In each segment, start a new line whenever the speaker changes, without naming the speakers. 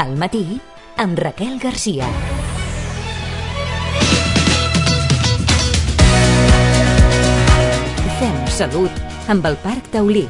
Al matí, amb Raquel Garcia. Fem salut amb el Parc Taulí.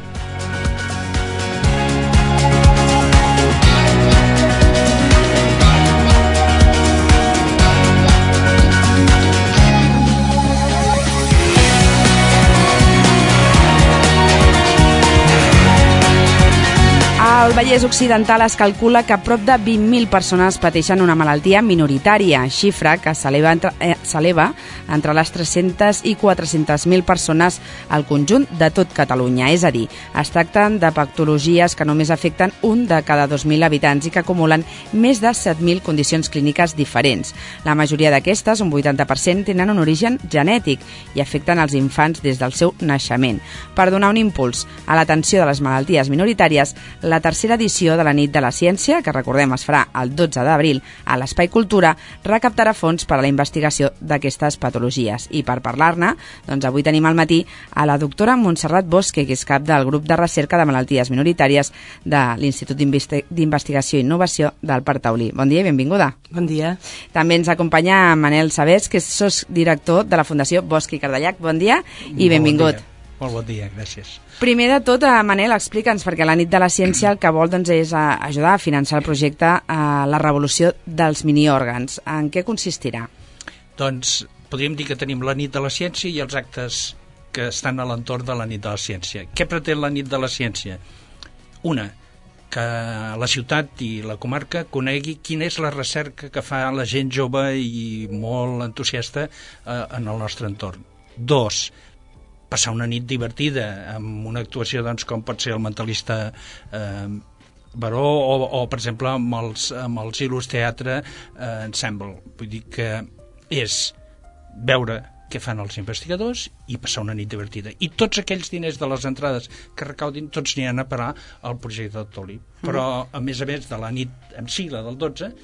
Al Vallès Occidental es calcula que prop de 20.000 persones pateixen una malaltia minoritària, xifra que s'eleva entre les 300 i 400.000 persones al conjunt de tot Catalunya. És a dir, es tracten de patologies que només afecten un de cada 2.000 habitants i que acumulen més de 7.000 condicions clíniques diferents. La majoria d'aquestes, un 80%, tenen un origen genètic i afecten els infants des del seu naixement. Per donar un impuls a l'atenció de les malalties minoritàries, la tercera edició de la Nit de la Ciència, que recordem es farà el 12 d'abril a l'Espai Cultura, recaptarà fons per a la investigació d'aquestes patologies. I per parlar-ne, doncs avui tenim al matí a la doctora Montserrat Bosque, que és cap del grup de recerca de malalties minoritàries de l'Institut d'Investigació i Innovació del Parc Taulí. Bon dia i benvinguda.
Bon dia.
També ens acompanya Manel Sabés, que és sotsdirector de la Fundació Bosch i Cardellac. Bon dia i benvingut.
Bon dia. Molt bon dia, gràcies.
Primer de tot, Manel, explica'ns, perquè la Nit de la Ciència el que vol és ajudar a finançar el projecte La revolució dels miniòrgans. En què consistirà?
Doncs podríem dir que tenim la Nit de la Ciència i els actes que estan a l'entorn de la Nit de la Ciència. Què pretén la Nit de la Ciència? Una, que la ciutat i la comarca conegui quina és la recerca que fa la gent jove i molt entusiasta en el nostre entorn. Dos, passar una nit divertida amb una actuació com pot ser el Mentalista Baró o per exemple amb els Il·lus Teatre Ensemble. Vull dir que és veure què fan els investigadors i passar una nit divertida. I tots aquells diners de les entrades que recaudin, tots aniran a parar al projecte del Taulí. Però a més de la nit en si, la del 12,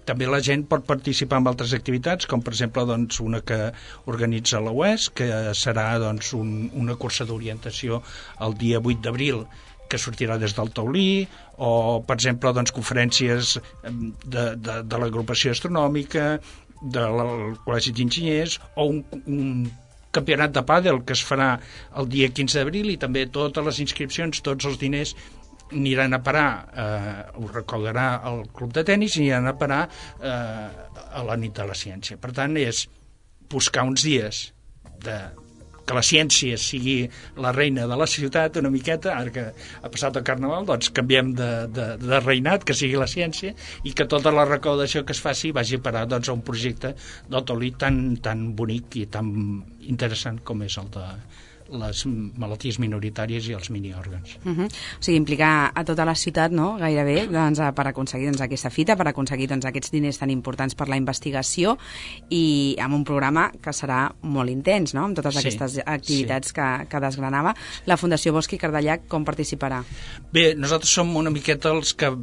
també la gent pot participar en altres activitats, com per exemple una que organitza la UES, que serà una cursa d'orientació el dia 8 d'abril, que sortirà des del Taulí, o per exemple conferències de l'agrupació astronòmica, del Col·legi d'Enginyers, o un campionat de pàdel que es farà el dia 15 d'abril, i també totes les inscripcions, tots els diners aniran a parar, ho recaudarà el club de tenis, i aniran a parar a la Nit de la Ciència. Per tant, és buscar uns dies que la ciència sigui la reina de la ciutat una miqueta. Ara que ha passat el Carnaval, canviem de reinat, que sigui la ciència, i que tota la recaudació que es faci vagi a parar a un projecte del Taulí tan bonic i tan interessant com és el de les malalties minoritàries i els miniòrgans.
O sigui, implicar a tota la ciutat, no?, gairebé, per aconseguir aquesta fita, per aconseguir aquests diners tan importants per la investigació, i amb un programa que serà molt intens, no?, amb totes aquestes activitats que desgranava. La Fundació Bosch i Cardellac com participarà?
Bé, nosaltres som una miqueta els que,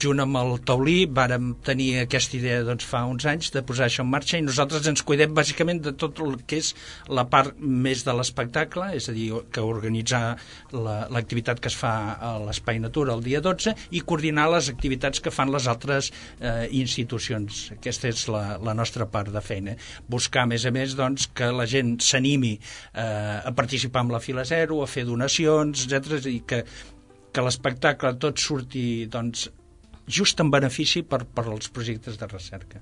junt amb el Taulí, vàrem tenir aquesta idea fa uns anys de posar això en marxa, i nosaltres ens cuidem bàsicament de tot el que és la part més de l'espectacle, és a dir, que organitzar l'activitat que es fa a l'Espai Natura el dia 12 i coordinar les activitats que fan les altres institucions. Aquesta és la nostra part de feina. Buscar, a més, que la gent s'animi a participar en la Fila Zero, a fer donacions, etc., i que l'espectacle tot surti just en benefici per als projectes de recerca.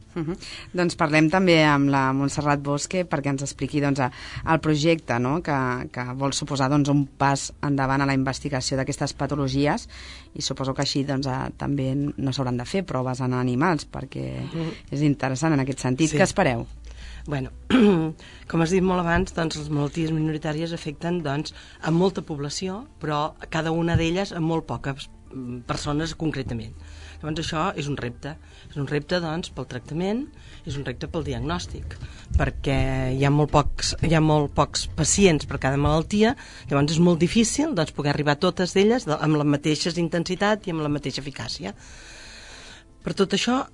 Doncs parlem també amb la Montserrat Bosque perquè ens expliqui el projecte, no?, que vol suposar un pas endavant a la investigació d'aquestes patologies, i suposo que així també no s'hauran de fer proves en animals, perquè és interessant en aquest sentit. Què espereu?
Bueno, com has dit molt abans, les malalties minoritàries afecten a molta població, però cada una d'elles a molt poques persones concretament. Llavors això és un repte pel tractament, és un repte pel diagnòstic, perquè hi ha molt pocs pacients per cada malaltia. Llavors és molt difícil poder arribar a totes elles amb la mateixa intensitat i amb la mateixa eficàcia. Per tot això,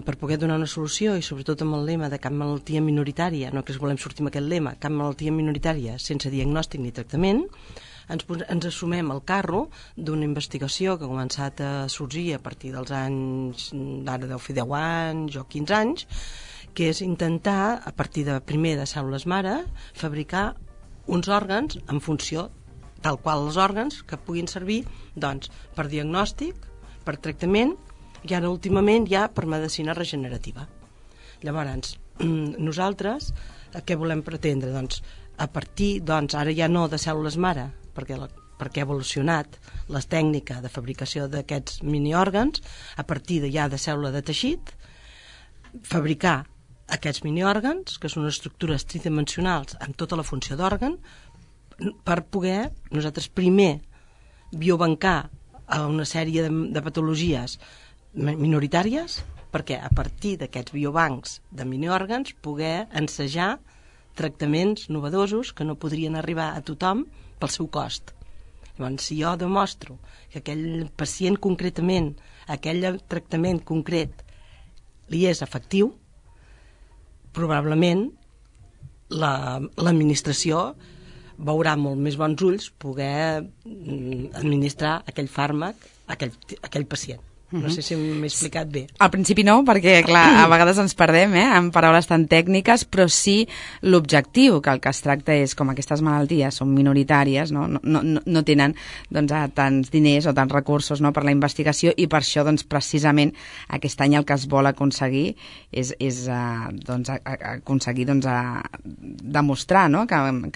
per poder donar una solució, i sobretot amb el lema de cap malaltia minoritària, no que volem sortir amb aquest lema, cap malaltia minoritària sense diagnòstic ni tractament, ens assumem el carro d'una investigació que ha començat a sorgir a partir dels anys, ara deu fer 10 anys o 15 anys, que és intentar, a partir primer de cèl·lules mare, fabricar uns òrgans en funció tal qual els òrgans que puguin servir doncs, per diagnòstic, per tractament i ara últimament ja per medicina regenerativa. Llavors, nosaltres què volem pretendre? Doncs, a partir, ara ja no de cèl·lules mare, perquè ha evolucionat la tècnica de fabricació d'aquests miniòrgans, a partir ja de cèl·lula de teixit, fabricar aquests miniòrgans, que són estructures tridimensionals amb tota la funció d'òrgan, per poder nosaltres primer biobancar a una sèrie de patologies minoritàries, perquè a partir d'aquests biobancs de miniòrgans poder ensejar tractaments novedosos que no podrien arribar a tothom pel seu cost. Llavors, si jo demostro que aquell pacient concretament, aquell tractament concret li és efectiu, probablement l'administració veurà molt més bons ulls poder administrar aquell fàrmac a aquell pacient. No sé si m'he explicat bé.
Al principi no, perquè clar, a vegades ens perdem en paraules tan tècniques, però sí l'objectiu, que el que es tracta és, com aquestes malalties són minoritàries, no tenen tants diners o tants recursos per la investigació, i per això precisament aquest any el que es vol aconseguir és aconseguir demostrar que amb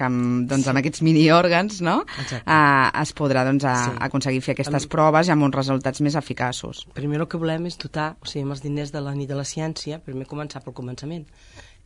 aquests miniòrgans es podrà aconseguir fer aquestes proves i amb uns resultats més eficaços.
Primer el que volem és dotar, amb els diners de la nit de la ciència, primer començar pel començament,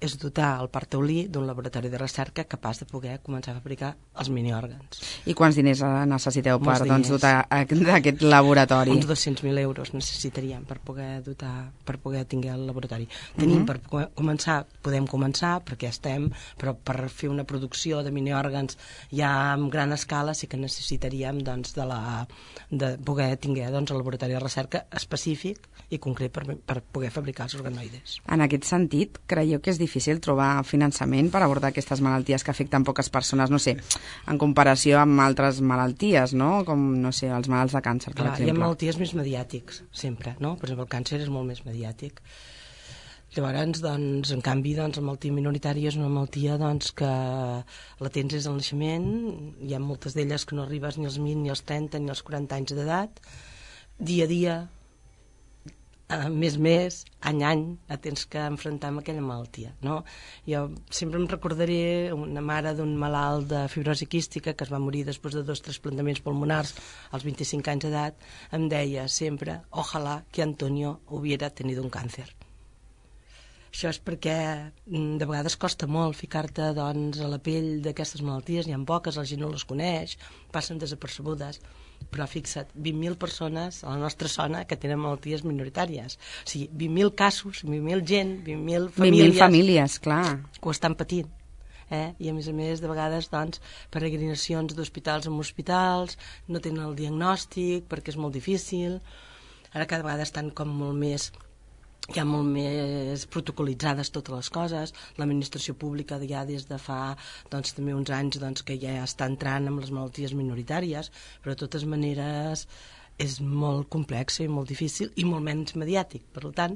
és dotar el Parc Taulí d'un laboratori de recerca capaç de poder començar a fabricar els miniòrgans.
I quants diners necessiteu per dotar d'aquest laboratori?
Uns 200.000 euros necessitaríem per poder tenir el laboratori. Tenim per començar, podem començar, perquè estem, però per fer una producció de miniòrgans ja en gran escala sí que necessitaríem de poder tenir el laboratori de recerca específic i concret per poder fabricar els organoides.
En aquest sentit, creieu que és difícil trobar finançament per abordar aquestes malalties que afecten poques persones, no sé, en comparació amb altres malalties, no? Com, no sé, els malalts de càncer, per exemple.
Hi ha malalties més mediàtics, sempre, no? Per exemple, el càncer és molt més mediàtic. Llavors, en canvi, la malaltia minoritària és una malaltia que la tens des del naixement, hi ha moltes d'elles que no arribes ni als 20, ni als 30, ni als 40 anys d'edat, dia a dia, mes, any, tens que enfrontar amb aquella malaltia, no? Jo sempre em recordaré una mare d'un malalt de fibrosi quística que es va morir després de 2 trasplantaments pulmonars als 25 anys d'edat, em deia sempre, ojalá que Antonio hubiera tenido un cáncer. Això és perquè de vegades costa molt ficar-te a la pell d'aquestes malalties, n'hi ha poques, la gent no les coneix, passen desapercebudes, però fixa't, 20.000 persones a la nostra zona que tenen malalties minoritàries. O sigui, 20.000 casos, 20.000 gent, 20.000 famílies...
20.000 famílies, clar.
Que ho estan patint. I a més, de vegades, peregrinacions d'hospitals en hospitals, no tenen el diagnòstic perquè és molt difícil. Ara cada vegada estan com molt més... Hi ha molt més protocolitzades totes les coses. L'administració pública ja des de fa també uns anys que ja està entrant amb les malalties minoritàries, però de totes maneres és molt complex i molt difícil i molt menys mediàtic. Per tant,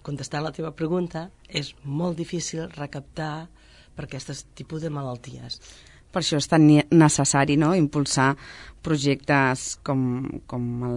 contestant la teva pregunta, és molt difícil recaptar per aquest tipus de malalties.
Per això és tan necessari, no?, impulsar projectes com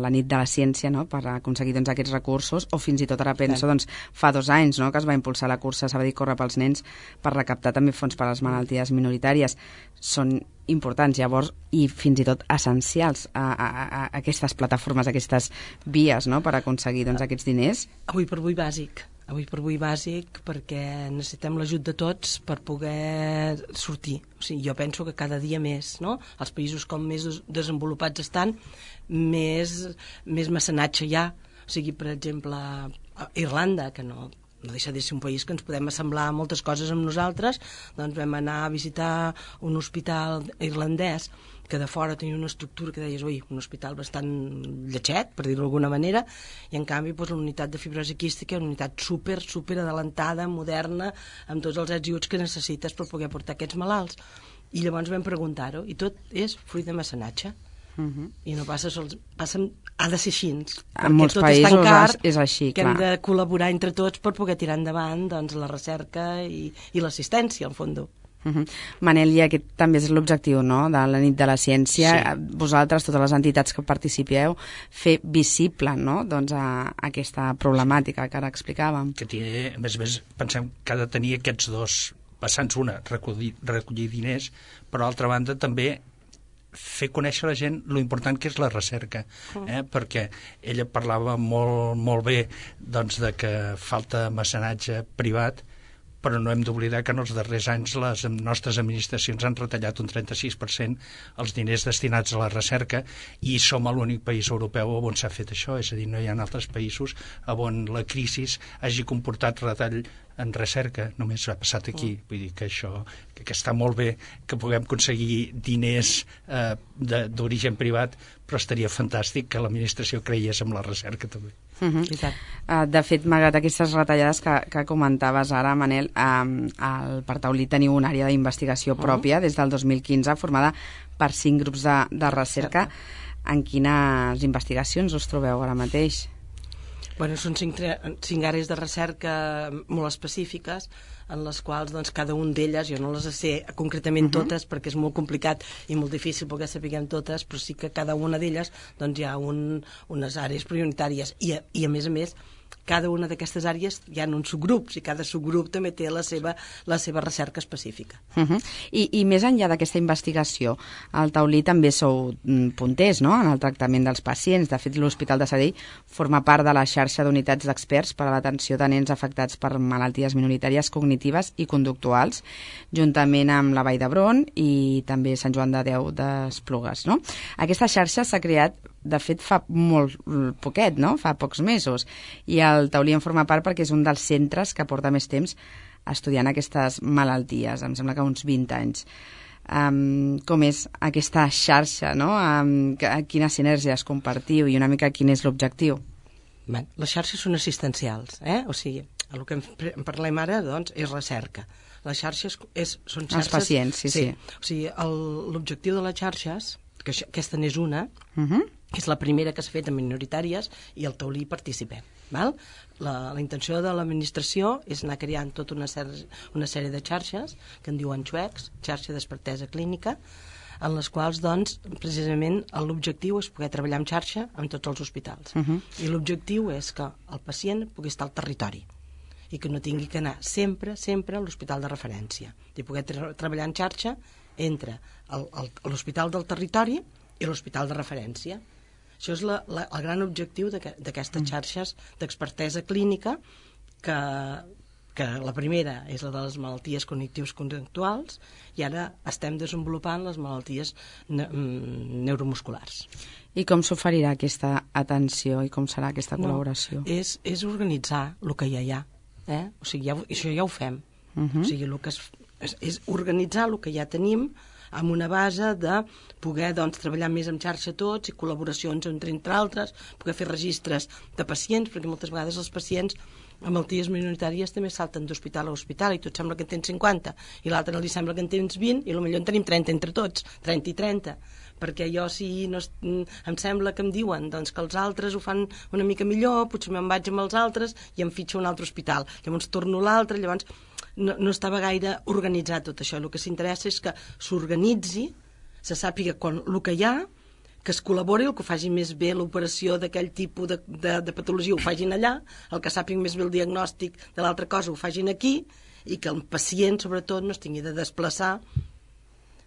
la nit de la ciència, no?, per aconseguir aquests recursos, o fins i tot ara penso, fa 2 anys, no?, que es va impulsar la cursa Sabadell Corre pels Nens per recaptar també fons per a les malalties minoritàries. Són importants, llavors, i fins i tot essencials a aquestes plataformes, a aquestes vies, no?, per aconseguir aquests diners.
Avui per avui bàsic perquè necessitem l'ajut de tots per poder sortir. O sigui, jo penso que cada dia més, no? Els països com més desenvolupats estan, més mecenatge hi ha. O sigui, per exemple, Irlanda, que no deixa de ser un país que ens podem assemblar a moltes coses amb nosaltres, doncs vam anar a visitar un hospital irlandès que de fora tenia una estructura que deies, un hospital bastant lletxet, per dir-ho d'alguna manera, i en canvi la unitat de fibrosi quística, una unitat super adelantada, moderna, amb tots els ets i uts que necessites per poder portar aquests malalts. I llavors vam preguntar-ho, i tot és fruit de mecenatge. I no passa sols, ha de ser així.
En molts països és així,
que hem de col·laborar entre tots per poder tirar endavant doncs, la recerca i l'assistència, al fons.
Manel, i aquest també és l'objectiu, no?, de la nit de la ciència. Sí. Vosaltres, totes les entitats que participeu, fer visible, no?, doncs, aquesta problemàtica que ara explicàvem.
Que té, a més, pensem que ha de tenir aquests dos vessants, una, recollir diners, però d'altra banda també fer conèixer a la gent lo important que és la recerca, perquè ella parlava molt bé doncs, de que falta mecenatge privat, però no hem d'oblidar que en els darrers anys les nostres administracions han retallat un 36% els diners destinats a la recerca i som l'únic país europeu on s'ha fet això, és a dir, no hi ha altres països on la crisi hagi comportat retall en recerca, només ha passat aquí. Vull dir que això, que està molt bé que puguem aconseguir diners d'origen privat, però estaria fantàstic que l'administració creiés en la recerca també.
De fet, malgrat aquestes retallades que comentaves ara, Manel, al Partaulí teniu una àrea d'investigació pròpia des del 2015 formada per 5 grups de recerca. En quines investigacions us trobeu ara mateix?
Bueno, són 5 àrees de recerca molt específiques en les quals doncs, cada un d'elles, jo no les sé concretament totes perquè és molt complicat i molt difícil perquè sapiguem totes, però sí que cada una d'elles doncs, hi ha unes àrees prioritàries i a més, cada una d'aquestes àrees hi ha uns subgrups i cada subgrup també té la seva recerca específica.
I més enllà d'aquesta investigació, al Taulí també sou punters, no?, en el tractament dels pacients. De fet, l'Hospital de Sabadell forma part de la xarxa d'unitats d'experts per a l'atenció de nens afectats per malalties minoritàries cognitives i conductuals, juntament amb la Vall d'Hebron i també Sant Joan de Déu d'Esplugues, no? Aquesta xarxa s'ha creat, de fet, fa molt poquet, no?, fa pocs mesos, i el Taulí en forma part perquè és un dels centres que porta més temps estudiant aquestes malalties, em sembla que uns 20 anys. Com és aquesta xarxa, no?, quines sinergies compartiu i una mica quin és l'objectiu?
Les xarxes són assistencials, o sigui, el que en parlem ara doncs, és recerca. Les xarxes són xarxes...
Els pacients, sí.
O sigui, l'objectiu de les xarxes, que aquesta n'és una, és la primera que s'ha fet en minoritàries i al Taulí participem. Val? La intenció de l'administració és anar creant tota una sèrie de xarxes que en diuen XUECs, xarxa d'expertesa clínica, en les quals, doncs, precisament l'objectiu és poder treballar en xarxa amb tots els hospitals. I l'objectiu és que el pacient pugui estar al territori i que no tingui que anar sempre a l'hospital de referència, i poder treballar en xarxa entre l'hospital del territori i l'hospital de referència. Això és el gran objectiu d'aquestes xarxes d'expertesa clínica, que la primera és la de les malalties cognitives conductuals i ara estem desenvolupant les malalties neuromusculars.
I com s'oferirà aquesta atenció i com serà aquesta col·laboració?
És organitzar el que ja hi ha. O sigui, això ja ho fem. O sigui, el que és organitzar el que ja tenim amb una base de poder doncs, treballar més en xarxa tots i col·laboracions entre altres, poder fer registres de pacients, perquè moltes vegades els pacients amb malalties minoritàries també salten d'hospital a hospital i tu et sembla que en tens 50 i l'altre li sembla que en tens 20 i potser en tenim 30 entre tots, 30 i 30, perquè jo si no, em sembla que em diuen doncs, que els altres ho fan una mica millor, potser me'n vaig amb els altres i em fitxo un altre hospital, llavors torno a l'altre, llavors no estava gaire organitzat tot això. El que s'interessa és que s'organitzi, se sàpiga el que hi ha, que es col·labori, el que faci més bé l'operació d'aquell tipus de patologia ho facin allà, el que sàpiga més bé el diagnòstic de l'altra cosa ho facin aquí, i que el pacient, sobretot, no es tingui de desplaçar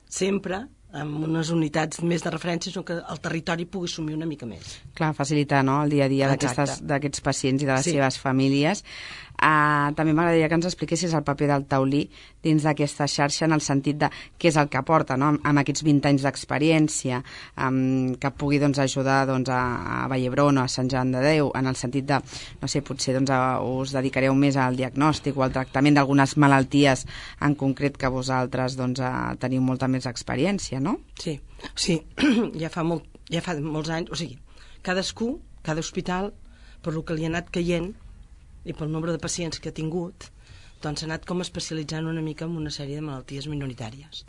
sempre amb unes unitats més de referència, sinó que el territori pugui assumir una mica més.
Clar, facilitar, no?, el dia a dia d'aquests pacients i de les seves famílies. També m'agradaria que ens expliquessis el paper del Taulí dins d'aquesta xarxa en el sentit de què és el que aporta, no?, amb aquests 20 anys d'experiència, que pugui doncs, ajudar doncs, a Vall d'Hebron o a Sant Joan de Déu, en el sentit de, no sé, potser doncs, us dedicareu més al diagnòstic o al tractament d'algunes malalties en concret que vosaltres doncs, teniu molta més experiència, no?
Sí, ja fa molts anys, o sigui, cada hospital, per el que li ha anat caient i pel nombre de pacients que ha tingut, doncs s'ha anat com especialitzant una mica en una sèrie de malalties minoritàries.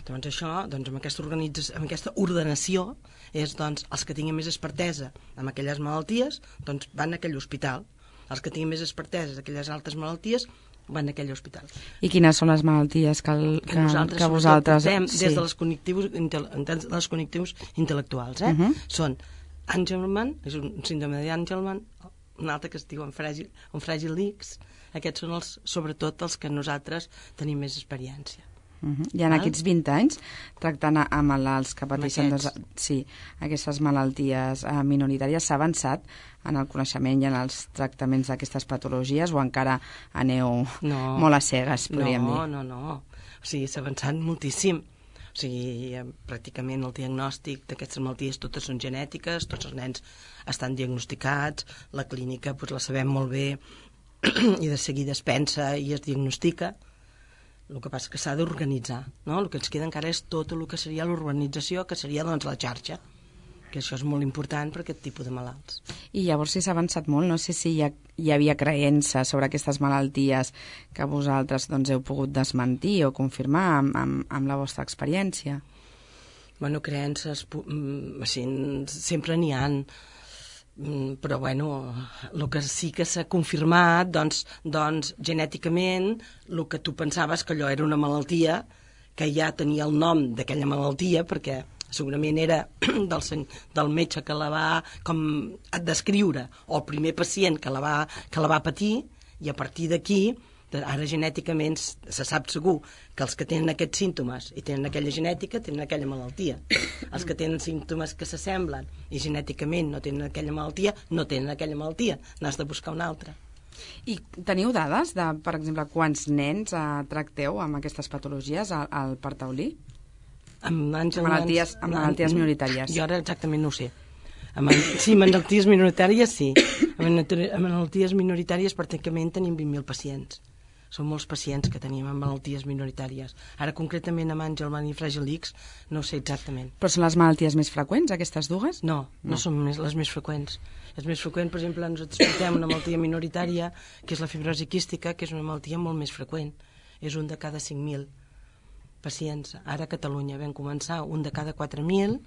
Doncs això, amb aquesta ordenació, és doncs, els que tinguin més expertesa amb aquelles malalties, doncs van a aquell hospital. Els que tinguin més expertesa d'aquelles altres malalties van a aquell hospital.
I quines són les malalties que vosaltres...
Des de les connectius intel·lectuals. Són Angelman, és un síndrome d'Angelman, un altre que es diu un Fragile X. Aquests són sobretot els que nosaltres tenim més experiència.
I en aquests 20 anys, tractant a malalts que pateixen aquestes malalties minoritàries, s'ha avançat en el coneixement i en els tractaments d'aquestes patologies o encara aneu molt a cegues, podríem dir?
No. O sigui, s'ha avançat moltíssim. O sigui, pràcticament el diagnòstic d'aquestes malalties totes són genètiques, tots els nens estan diagnosticats, la clínica la sabem molt bé i de seguida es pensa i es diagnostica. El que passa és que s'ha d'organitzar, no? El que ens queda encara és tot el que seria l'urbanització, que seria doncs la xarxa, que això és molt important per aquest tipus de malalts.
I llavors, si s'ha avançat molt, no sé si hi havia creença sobre aquestes malalties que vosaltres heu pogut desmentir o confirmar amb la vostra experiència.
Bueno, creences, sempre n'hi ha, però el que sí que s'ha confirmat doncs genèticament el que tu pensaves que allò era una malaltia que ja tenia el nom d'aquella malaltia perquè segurament era del metge que la va com descriure o el primer pacient que la va patir i a partir d'aquí ara genèticament se sap segur que els que tenen aquests símptomes i tenen aquella genètica tenen aquella malaltia. Els que tenen símptomes que s'assemblen i genèticament no tenen aquella malaltia, no tenen aquella malaltia. N'has de buscar una altra.
I teniu dades de, per exemple, quants nens tracteu amb aquestes patologies al Parc Taulí?
Amb
malalties minoritàries.
Jo ara exactament no ho sé. Sí, malalties minoritàries sí. Amb malalties minoritàries pràcticament tenim 20.000 pacients. Són molts pacients que tenim amb malalties minoritàries. Ara, concretament, amb Angelman i Fragile X, no ho sé exactament.
Però són les malalties més freqüents, aquestes dues?
No són les més freqüents. És més freqüent, per exemple, nosaltres portem una malaltia minoritària, que és la fibrosi quística, que és una malaltia molt més freqüent. És un de cada 5.000 pacients. Ara a Catalunya vam començar un de cada 4.000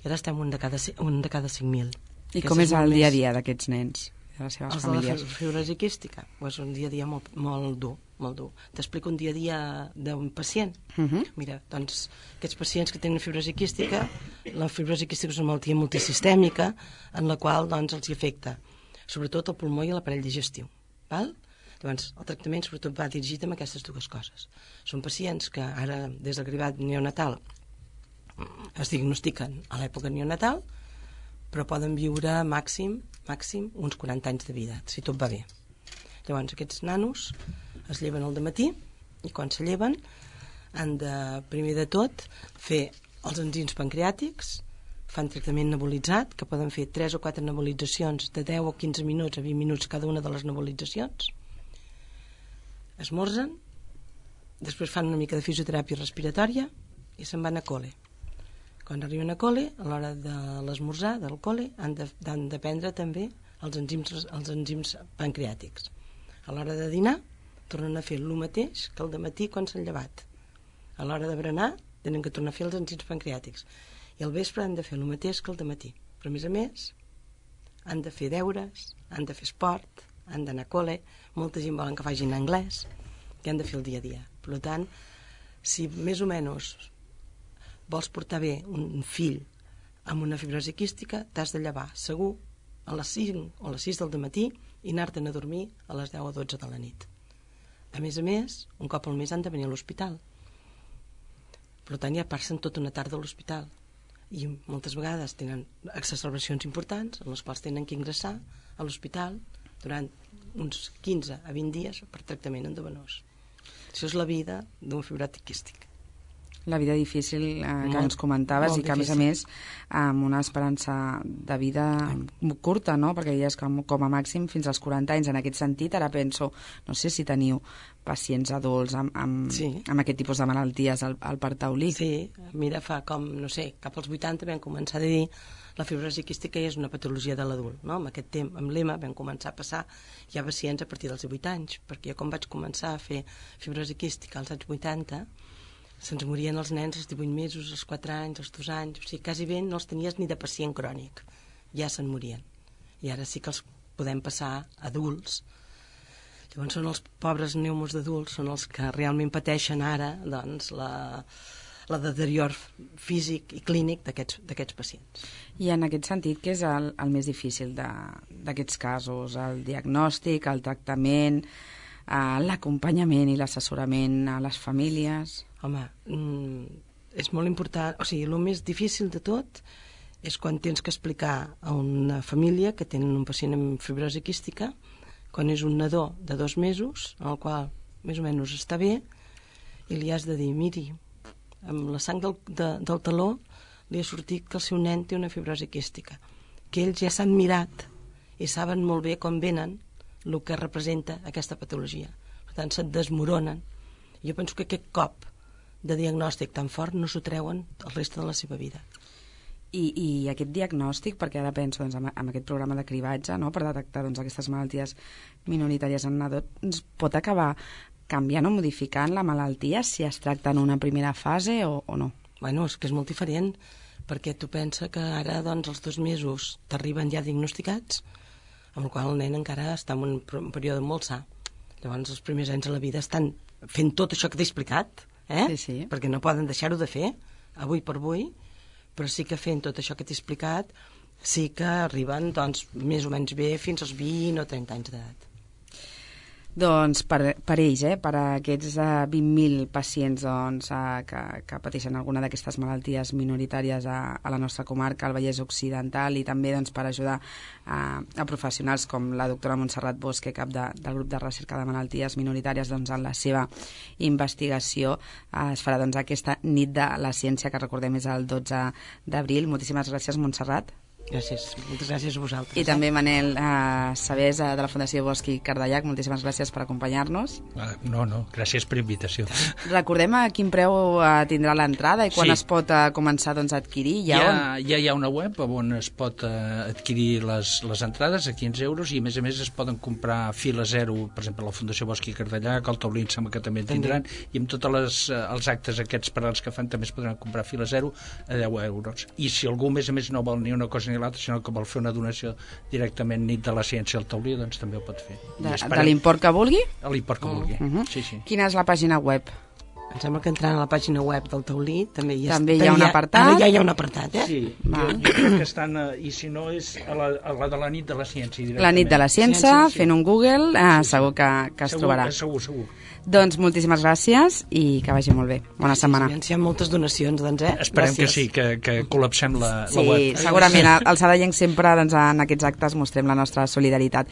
i ara estem un de cada 5.000.
I com és el dia a dia d'aquests nens? De les seves famílies.
De la fibrosi quística és un dia a dia molt dur. T'explico un dia a dia d'un pacient. Mira, doncs aquests pacients que tenen fibrosi quística, la fibrosi quística és una malaltia multisistèmica en la qual doncs els afecta sobretot el pulmó i l'aparell digestiu, val? Doncs el tractament sobretot va dirigit amb aquestes dues coses. Són pacients que ara des del cribat neonatal es diagnostiquen a l'època neonatal, però poden viure màxim uns 40 anys de vida, si tot va bé. Llavors aquests nanos es lleven al dematí i quan se lleven han de, primer de tot, fer els enzims pancreàtics, fan tractament nebulitzat, que poden fer 3 o 4 nebulitzacions de 10 o 15 minuts a 20 minuts cada una de les nebulitzacions, esmorzen, després fan una mica de fisioteràpia respiratòria i se'n van a col·le. Quan arriben a col·le, a l'hora de l'esmorzar, del col·le, han de prendre també els enzims pancreàtics. A l'hora de dinar, tornen a fer el mateix que el dematí quan s'han llevat. A l'hora de berenar, tenen que tornar a fer els enzims pancreàtics. I al vespre han de fer el mateix que el dematí. Però, a més, han de fer deures, han de fer esport, han d'anar a col·le, molta gent volen que facin anglès, que han de fer el dia a dia. Per tant, si més o menys vols portar bé un fill amb una fibrosi quística, t'has de llevar segur a les 5 o a les 6 del matí i anar-te'n a dormir a les 10 o 12 de la nit. A més, un cop al mes han de venir a l'hospital. Per tant, ja passen tota una tarda a l'hospital i moltes vegades tenen exacerbacions importants en les quals tenen que ingressar a l'hospital durant uns 15 a 20 dies per tractament endovenoç. Això és la vida d'un fibròtic quístic.
La vida difícil que ens comentaves i que, a més, amb una esperança de vida curta, no? Perquè deies com a màxim fins als 40 anys. En aquest sentit, ara penso, no sé si teniu pacients adults amb aquest tipus de malalties al Parc Taulí.
Sí, mira, fa com, no sé, cap als 80 vam començar a dir la fibrosi quística és una patologia de l'adult, no? Amb aquest temps, amb l'EMA, vam començar a passar ja pacients a partir dels 18 anys, perquè jo quan vaig començar a fer fibrosi quística als anys 80, se'ns morien els nens als 18 mesos, als 4 anys, als 2 anys, o sigui, quasi bé no els tenies ni de pacient crònic, ja se'n morien. I ara sí que els podem passar adults. Llavors són els pobres pneumos d'adults, són els que realment pateixen ara doncs, la deterior físic i clínic d'aquests pacients.
I en aquest sentit, què és el més difícil d'aquests casos? El diagnòstic, el tractament, l'acompanyament i l'assessorament a les famílies?
Home, és molt important, o sigui, el més difícil de tot és quan tens que explicar a una família que tenen un pacient amb fibrosi quística, quan és un nadó de 2 mesos, en el qual més o menys està bé, i li has de dir, miri, amb la sang del taló li ha sortit que el seu nen té una fibrosi quística, que ells ja s'han mirat i saben molt bé com venen el que representa aquesta patologia. Per tant, se't desmoronen. Jo penso que aquest cop de diagnòstic tan fort no s'ho treuen el reste de la seva vida.
I aquest diagnòstic, perquè ara penso doncs, en aquest programa de cribatge, no?, per detectar doncs, aquestes malalties minoritàries en nadó, ens pot acabar canviant o modificant la malaltia si es tracta en una primera fase o no?
Bueno, és que és molt diferent, perquè tu pensa que ara doncs, els 2 mesos t'arriben ja diagnosticats, amb el qual el nen encara està en un període molt sa. Llavors els primers anys de la vida estan fent tot això que t'he explicat,
Sí.
perquè no poden deixar-ho de fer, avui per avui, però sí que fent tot això que t'he explicat sí que arriben doncs, més o menys bé fins als 20 o 30 anys d'edat.
Doncs per ells, per aquests 20.000 pacients doncs, que pateixen alguna d'aquestes malalties minoritàries a la nostra comarca, al Vallès Occidental, i també doncs, per ajudar a professionals com la doctora Montserrat Bosque, cap del grup de recerca de malalties minoritàries, doncs, en la seva investigació. Es farà doncs, aquesta nit de la ciència, que recordem és el 12 d'abril. Moltíssimes gràcies, Montserrat.
Gràcies, moltes gràcies a vosaltres.
I també Manel Sabés, de la Fundació Bosch i Cardellac, moltíssimes gràcies per acompanyar-nos.
No, gràcies per invitació.
Recordem a quin preu tindrà l'entrada i quan es pot començar doncs, a adquirir.
Ja hi ha una web on es pot adquirir les entrades a 15 euros i a més es poden comprar fila zero, per exemple, a la Fundació Bosch i Cardellac, el taulí em sembla que també en tindran, i amb tots els actes aquests per als que fan també es podran comprar fila zero a 10 euros. I si algú, a més no vol ni una cosa ni l'altra, sinó que vol fer una donació directament nit de la ciència al taulí, doncs també ho pot fer.
De l'import que vulgui?
A l'import que vulgui, sí.
Quina és la pàgina web?
Em sembla que entrant a la pàgina web del taulí també hi
ha un apartat.
Ara ja hi ha un apartat,
Sí, jo crec que estan, i si no és a la de la nit de la ciència directament.
La nit de la ciència, fent un Google, segur que es trobarà.
Segur.
Doncs moltíssimes gràcies i que vagi molt bé. Bona setmana.
Hi ha moltes donacions, doncs,
Esperem que sí, que col·lapsem la web.
Sí, segurament. Al Sadayenc sempre en aquests actes mostrem la nostra solidaritat.